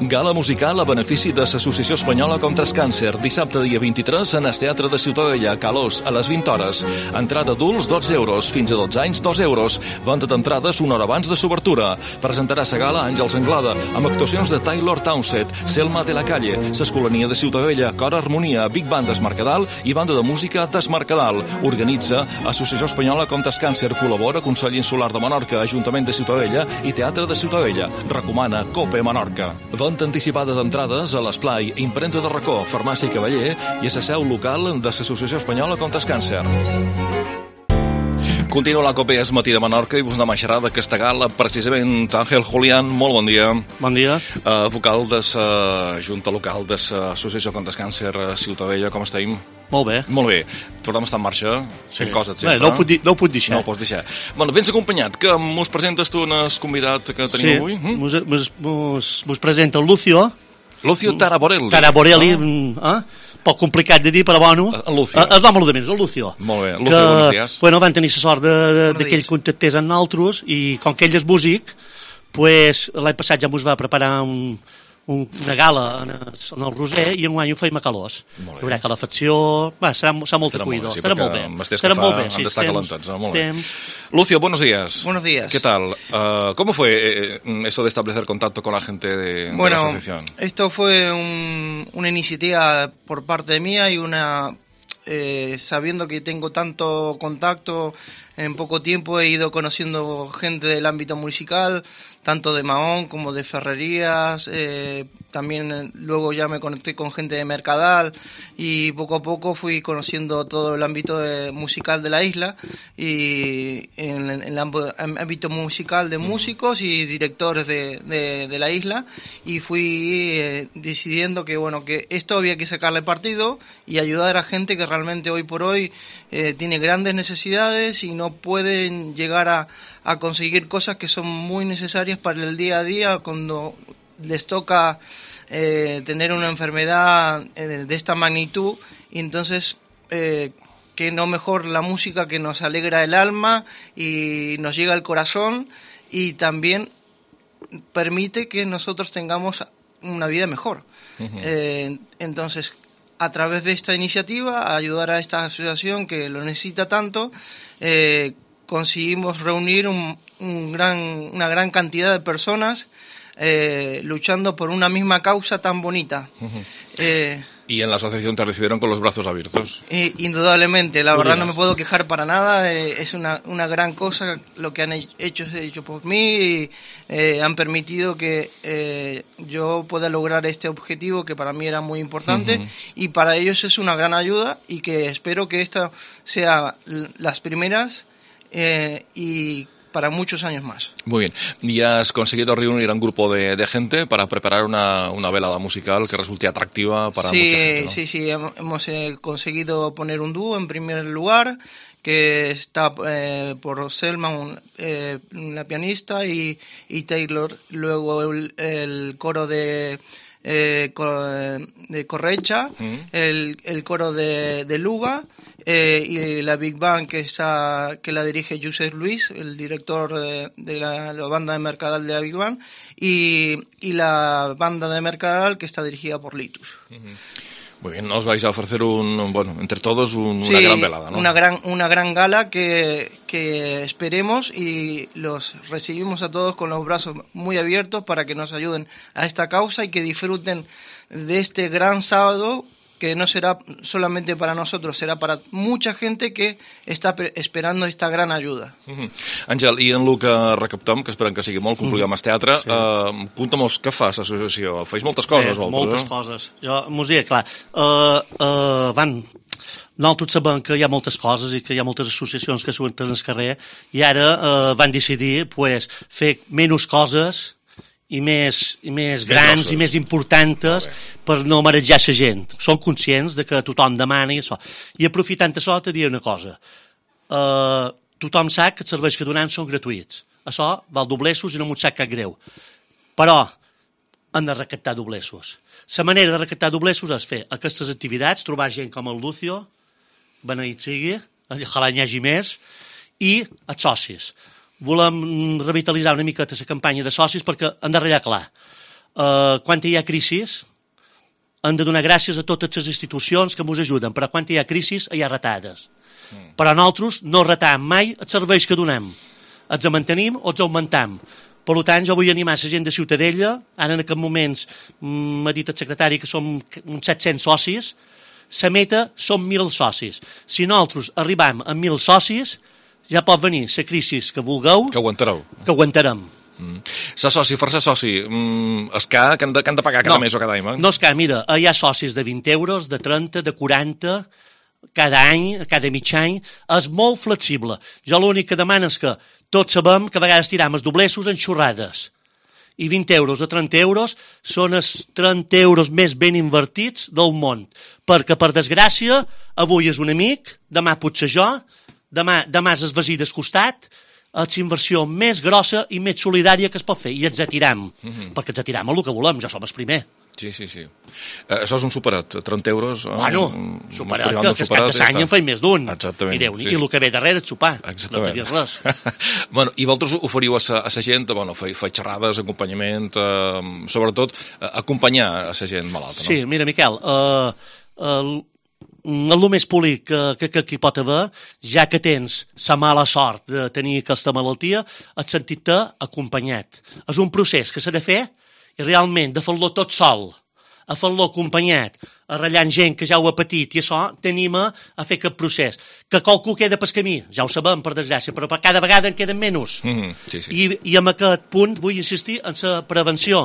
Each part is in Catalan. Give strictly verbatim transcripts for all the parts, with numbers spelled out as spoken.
Gala musical a benefici de l'Associació Espanyola contra el Càncer. Dissabte, dia vint-i-tres, en el Teatre de Ciutadella, Calós, a les vint hores. Entrada adults, dotze euros. Fins a dotze anys, dos euros. Venda d'entrades una hora abans de s'obertura. Presentarà la gala Àngels Anglada, amb actuacions de Taylor Townsend, Selma de la Calle, l'Escolania de Ciutadella, Cor Harmonia, Big Band d'Es Mercadal i banda de música d'Es Mercadal. Organitza Associació Espanyola contra el Càncer. Col·labora Consell Insular de Menorca, Ajuntament de Ciutadella i Teatre de Ciutadella. Recomana Cope Menorca. Venda anticipada d'entrades a l'Esplai, Imprenta de Racó, Farmàcia Cavaller i a la seu local de l'Associació Espanyola contra el Càncer. Continua la Cope Es Matí de Menorca i vos anem a xerrar d'aquesta gala. Precisament, Àngel Julián, molt bon dia. Bon dia. Uh, vocal de la Junta Local de l'Associació contra el Càncer a Ciutadella, com estem? Molt bé. Molt bé. El programa està en marxa, fent sí. coses sempre. Bé, no ho puc, dir, no ho puc deixar. No ho pots deixar. Bueno, vens acompanyat, que mos presentes tu en el convidat que tenim sí. avui? Sí, mos, mos, mos, mos presenta el Lucio. Lucio Taraborelli. Taraborelli, ah. eh? Poc complicat de dir, però bueno. El Lucio. El nom de menys, el Lucio. Molt bé. Lucio, buenos días. Bueno, van tenir la sort de, de, de que ell contactés amb nosaltres i com que ell és músic, pues, l'any passat ja mos va preparar un, un, una gala en el, en el Roser i en un any ho feim a Calós. Hi haurà calefacció, va, serà, serà molt acollidor. Sí, estarà molt bé. Estarà molt bé. Sí, estar calentats, ¿no? Molt bé. Lucio, buenos días. Buenos días. ¿Qué tal? Uh, ¿Cómo fue eh, eso de establecer contacto con la gente de, bueno, de la asociación? Esto fue un, una iniciativa por parte mía y una eh, sabiendo que tengo tanto contacto, en poco tiempo he ido conociendo gente del ámbito musical, tanto de Mahón como de Ferrerías, eh, también luego ya me conecté con gente de Mercadal y poco a poco fui conociendo todo el ámbito de, musical de la isla y en, en el ámbito musical de músicos y directores de, de, de la isla y fui eh, decidiendo que bueno que esto había que sacarle partido y ayudar a gente que realmente hoy por hoy eh, tiene grandes necesidades y no pueden llegar a, a conseguir cosas que son muy necesarias para el día a día cuando les toca eh, tener una enfermedad eh, de esta magnitud y entonces eh, que no mejor la música que nos alegra el alma y nos llega al corazón y también permite que nosotros tengamos una vida mejor. Uh-huh. eh, entonces a través de esta iniciativa ayudar a esta asociación que lo necesita tanto eh, conseguimos reunir un, un gran, una gran cantidad de personas eh, luchando por una misma causa tan bonita. Uh-huh. eh, y en la asociación te recibieron con los brazos abiertos. Eh, indudablemente, la Muy verdad bien. No me puedo quejar para nada, eh, es una, una gran cosa lo que han hecho, hecho por mí y eh, han permitido que eh, yo pueda lograr este objetivo que para mí era muy importante uh-huh. y para ellos es una gran ayuda y que espero que esta sea las primeras eh, y para muchos años más. Muy bien. ¿Y has conseguido reunir a un grupo de, de gente para preparar una, una velada musical que resulte atractiva para sí, mucha gente, ¿no? Sí, sí, hemos eh, conseguido poner un dúo en primer lugar, que está eh, por Selma, un, eh, la pianista, y, y Taylor, luego el, el coro de... Eh, de Correcha, uh-huh. el, el coro de, de Luga eh, y la Big Band que está que la dirige Josep Luis, el director de, de la, la banda de Mercadal de la Big Band y, y la banda de Mercadal que está dirigida por Litus. Uh-huh. Muy bien, nos vais a ofrecer un, bueno, entre todos un, sí, una gran velada, ¿no? Una gran, una gran gala que, que esperemos y los recibimos a todos con los brazos muy abiertos para que nos ayuden a esta causa y que disfruten de este gran sábado que no será solamente para nosotros, será para mucha gente que està esperando esta gran ajuda. Uh-huh. Àngel, i en el que recaptem, que esperem que sigui molt, complir amb el teatre, sí. uh, conta'm-nos què fa l'associació? Feis moltes coses, eh, vosaltres, moltes eh? coses. Jo, mos diré, clar, uh, uh, van... Nosaltres sabem que hi ha moltes coses i que hi ha moltes associacions que surten al carrer i ara uh, van decidir pues, fer menys coses i més, i més grans i més importants per no marejar la gent. Són conscients de que tothom demana i això. I aprofitant això te diré una cosa. Uh, tothom sap que els serveis que donem són gratuïts. Això val doblessos i no m'ho sap cap greu. Però han de recaptar doblessos. La manera de recaptar doblessos és fer aquestes activitats, trobar gent com el Lucio, beneït sigui, ojalà n'hi hagi més, i els socis. Volem revitalitzar una miqueta la campanya de socis perquè han de ratllar clar. eh, quan hi ha crisis, hem de donar gràcies a totes les institucions que ens ajuden, però quan hi ha crisis hi ha retades. Mm. Però nosaltres no retam mai els serveis que donem. Els mantenim o els augmentam. Per tant, jo vull animar la gent de Ciutadella, ara en aquests moments m'ha dit el secretari que som uns set-cents socis, la meta són mil socis. Si nosaltres arribam a mil socis, ja pot venir la crisi que vulgueu, que aguantareu. Que aguantarem. Mm. Ser soci, fer-se soci, mm, és que, que, han de, que han de pagar cada no, mes o cada any? Eh? No és que, mira, hi ha socis de vint euros, de trenta, de quaranta, cada any, cada mig any, és molt flexible. Jo l'únic que demano és que tots sabem que a vegades tiram els doblessos en xorrades. I vint euros o trenta euros són els trenta euros més ben invertits del món. Perquè, per desgràcia, avui és un amic, demà potser jo, demà, demà és el veí del costat, és la inversió més grossa i més solidària que es pot fer. I ens atiram, mm-hmm. perquè ens atiram a el que volem, ja som els primers. Sí, sí, sí. Eh, això és un superet, trenta euros... Bueno, un, superet, que, que és cap de l'any en feim més d'un. Exactament. I, Déu, sí. I el que ve darrere és sopar. Exactament. No res. Bueno, i vosaltres oferiu a la gent, bueno, feu xerrades, acompanyament, eh, sobretot eh, acompanyar a la gent malalta, no? Sí, mira, Miquel, eh, el, el més polit que, que, que, que hi pot haver, ja que tens la mala sort de tenir aquesta malaltia, et sentit-te acompanyat. És un procés que s'ha de fer i realment de fer-lo tot sol, a fer-lo acompanyat, a ratllant gent que ja ho ha patit, i això t'anima a fer aquest procés. Que qualcú queda pel camí, ja ho sabem, per desgràcia, però cada vegada en queden menys. Mm-hmm, sí, sí. I, I en aquest punt vull insistir en la prevenció.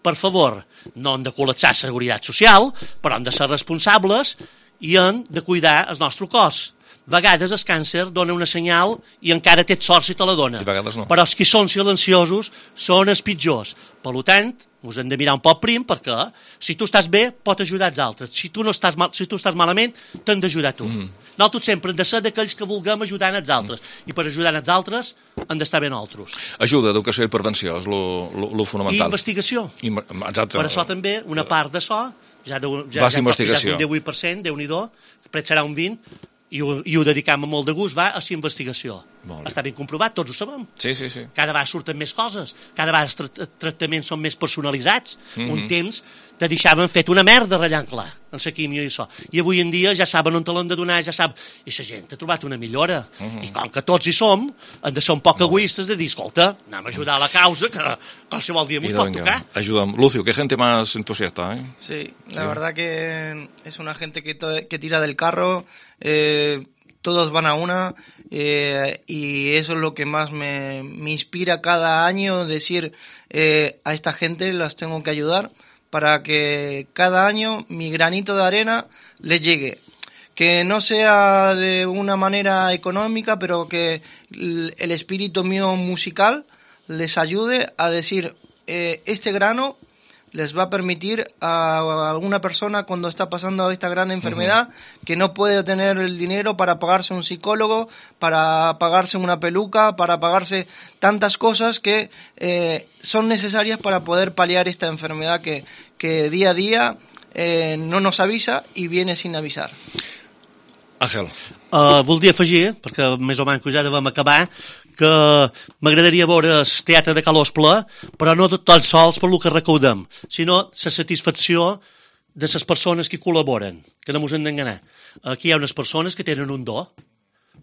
Per favor, no hem de col·lapsar la seguretat social, però hem de ser responsables i hem de cuidar el nostre cos. A vegades el càncer dona una senyal i encara té sort si te la dona. I a vegades no. Però els que són silenciosos són els pitjors. Per tant, us hem de mirar un poc prim perquè si tu estàs bé, pot ajudar els altres. Si tu, no estàs, mal, si tu estàs malament, t'han d'ajudar tu. Mm. Nosaltres sempre hem de ser d'aquells que vulguem ajudar els altres. Mm. I per ajudar els altres hem d'estar bé nosaltres. Ajuda, educació i prevenció és lo fonamental. I investigació. I, exacte. Per això també, una part d'això, ja, de, ja, Vas ja investigació. un divuit per cent, Déu-n'hi-do, després serà un vint per cent, i ho, i ho dedicam amb molt de gust, va a la investigació. Està ben comprovat, tots ho sabem. Sí, sí, sí. Cada vegada surten més coses, cada vegada els tra tractaments són més personalitzats. Mm-hmm. Un temps te deixaven fet una merda ratllant clar, en la químia i això. I avui en dia ja saben on te l'han de donar, ja sap... I la gent ha trobat una millora. Mm-hmm. I com que tots hi som, hem de ser un poc egoistes de dir, escolta, anem a ajudar a la causa, que qualsevol dia mos pot tocar. Ayudam. Lucio, qué gente más entusiasta, ¿eh? Sí, la sí. verdad que es una gente que, que tira del carro, eh, todos van a una, eh, y eso es lo que más me, me inspira cada año, decir eh, a esta gente las tengo que ayudar para que cada año mi granito de arena les llegue. Que no sea de una manera económica, pero que el espíritu mío musical les ayude a decir, eh, este grano les va a permitir a alguna persona cuando está pasando esta gran enfermedad, uh-huh. que no puede tener el dinero para pagarse un psicólogo, para pagarse una peluca, para pagarse tantas cosas que eh, son necesarias para poder paliar esta enfermedad que, que día a día eh, no nos avisa y viene sin avisar. Àngel. Uh, voldria afegir, perquè més o menys ja devem acabar, que m'agradaria veure el teatre de Calós ple, però no tan sols per lo que recaudem, sinó la satisfacció de les persones que col·laboren, que no ens hem d'enganar. Aquí hi ha unes persones que tenen un do,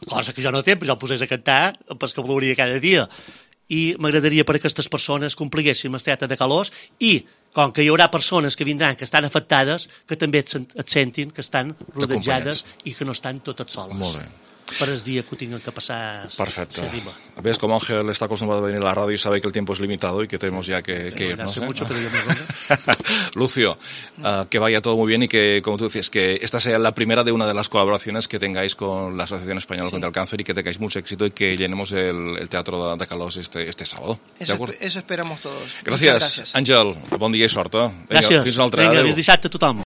cosa que jo no té, però jo el posés a cantar, pues que veuria cada dia. I m'agradaria per aquestes persones compliguéssim el teatre de Calós i, com que hi haurà persones que vindran que estan afectades, que també et, et sentin que estan rodejades i que no estan totes soles. Molt bé. Per el dia que ho tinguin que pasar. Perfecto. Ves, como Ángel está acostumbrado a venir a la radio y sabe que el tiempo es limitado y que tenemos ya que, que irnos. ¿eh? Mucho, pero yo me Lucio, uh, que vaya todo muy bien y que, como tú decías, que esta sea la primera de una de las colaboraciones que tengáis con la Asociación Española sí. contra el Cáncer y que tengáis mucho éxito y que llenemos el, el Teatro de, de Calós este, este sábado. Eso, eso esperamos todos. Gràcies, gràcies. Àngel. Bon dia i sort. Eh? Gràcies. Vinga, fins un altre. Vinga, fins dissabte a tothom.